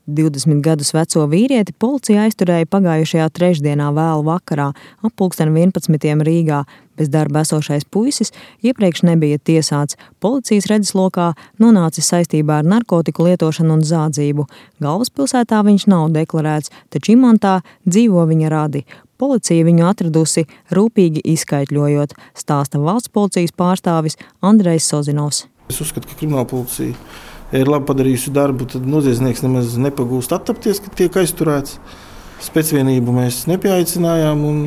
20 gadus veco vīrieti policija aizturēja pagājušajā trešdienā vēlu vakarā ap 11. Rīgā. Bez darba esošais puisis iepriekš nebija tiesāts. Policijas redzeslokā nonācis saistībā ar narkotiku lietošanu un zādzību. Galvaspilsētā viņš nav deklarēts, taču Imantā dzīvo viņa radi. Policija viņu atradusi rūpīgi izskaitļojot, stāsta valsts policijas pārstāvis Andrejs Sozinovs. Es uzskatu, ka kriminālpolicija ir labi padarījusi darbu, tad noziedznieks nemaz nepagūst attapties, ka tiek aizturēts. Specvienību mēs nepieaicinājām un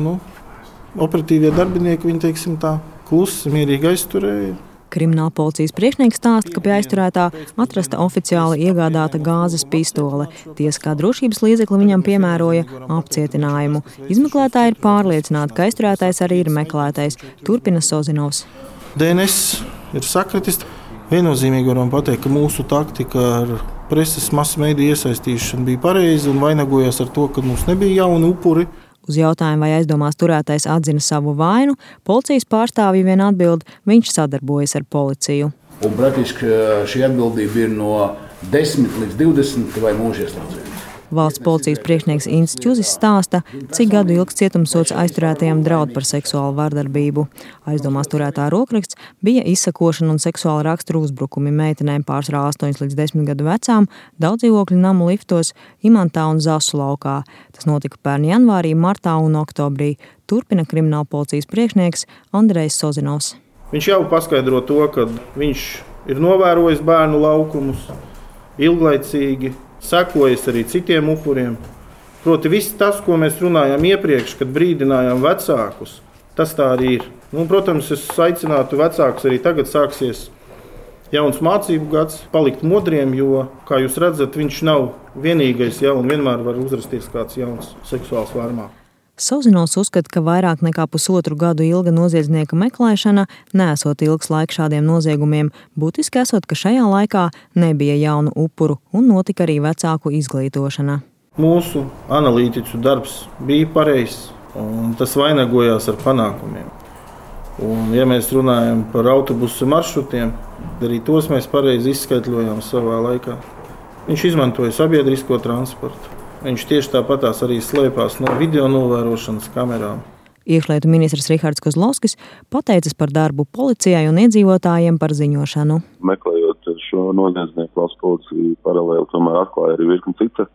operatīvie darbinieki viņi, teiksim tā, klusi, mierīgi aizturēja. Kriminālpolicijas priekšnieks stāsta, ka pie aizturētā atrasta oficiāli iegādāta gāzes pistole. Tiesa kā drošības līdzekli viņam piemēroja apcietinājumu. Izmeklētāji ir pārliecināti, ka aizturētais arī ir meklētais, turpina Sozinovs. DNS ir sakritis. Viennozīmīgi varam pateikt, ka mūsu taktika ar preses masu mediju iesaistīšanu bija pareiza un vainagojās ar to, ka mums nebija jauni upuri. Uz jautājumu, vai aizdomās turētais atzina savu vainu, policijas pārstāvji vien atbild, viņš sadarbojas ar policiju. Un praktiski šī atbildība ir no 10 līdz 20 vai mūžieslodzījumu. Valsts policijas priekšnieks Ints Čuzis stāsta, cik gadu ilgs cietumsods aizturētajam draud par seksuālu vardarbību. Aizdomās turētā rokraksts bija izsakošana un seksuāla rakstura uzbrukumi meitenēm pārsvarā 8 līdz 10 gadu vecām, daudzdzīvokļu namu liftos, Imantā un Zasu laukā. Tas notika pērn janvārī, martā un oktobrī, turpina kriminālpolicijas priekšnieks Andrejs Sozinovs. Viņš jau paskaidro to, ka viņš ir novērojis bērnu laukumus ilglaicīgi, sekojas arī citiem upuriem. Proti viss tas, ko mēs runājām iepriekš, kad brīdinājām vecākus, tas tā arī ir. Protams, es aicinātu vecākus arī tagad sāksies jauns mācību gads, palikt modriem, jo, kā jūs redzat, viņš nav vienīgais un vienmēr var uzrasties kāds jauns seksuāls vārmā. Sozinovs uzskata, ka vairāk nekā pusotru gadu ilga noziedznieka meklēšana neesot ilgs laiks šādiem noziegumiem, būtiski esot, ka šajā laikā nebija jaunu upuru un notika arī vecāku izglītošana. Mūsu analītiķu darbs bija pareizs un tas vainagojās ar panākumiem. Un, ja mēs runājam par autobusu maršrutiem, arī tos mēs pareizi izskaitļojām savā laikā. Viņš izmantoja sabiedrisko transportu. Viņš tieši tāpatās arī slēpās no video novērošanas kamerām. Iekšlietu ministrs Rihards Kozlovskis pateicas par darbu policijai un iedzīvotājiem par ziņošanu. Meklējot šo noziedznieku, valsts policija paralēli tomēr atklāja arī virkni cita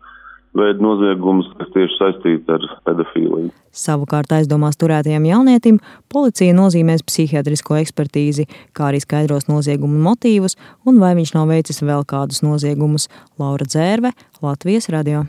veida noziegumus, kas tieši saistīti ar pedofīliju. Savukārt aizdomās turētajam jaunietim policija nozīmēs psihiatrisko ekspertīzi, kā arī skaidros noziegumu motīvus un vai viņš nav veicis vēl kādus noziegumus. Laura Dzērve, Latvijas radio.